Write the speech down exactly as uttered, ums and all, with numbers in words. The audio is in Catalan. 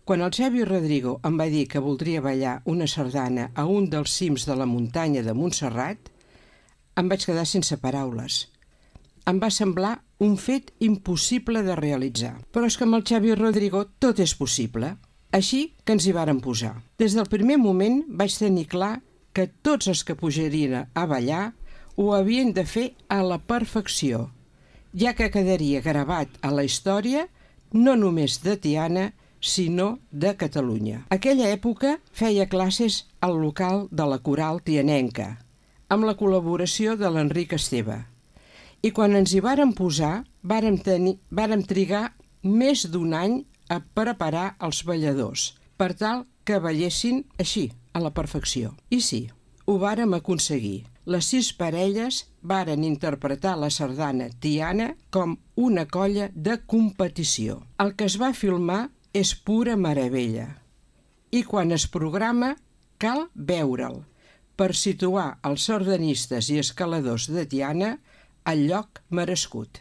Quan el Xavi Rodrigo em va dir que voldria ballar una sardana a un dels cims de la muntanya de Montserrat, em vaig quedar sense paraules. Em va semblar un fet impossible de realitzar. Però és que amb el Xavi Rodrigo tot és possible. Així que ens hi vàrem posar. Des del primer moment vaig tenir clar que tots els que pujarien a ballar ho havien de fer a la perfecció, ja que quedaria gravat a la història no només de Tiana, sinó de Catalunya. Aquella època feia classes al local de la Coral Tianenca, amb la col·laboració de l'Enric Esteve. I quan ens hi vàrem posar, vàrem, tenir, vàrem trigar més d'un any a preparar els balladors, per tal que ballessin així, a la perfecció. I sí, ho vàrem aconseguir. Les sis parelles varen interpretar la sardana Tiana com una colla de competició. El que es va filmar és pura meravella. I quan es programa, cal veure'l per situar els sardanistes i escaladors de Tiana al lloc merescut.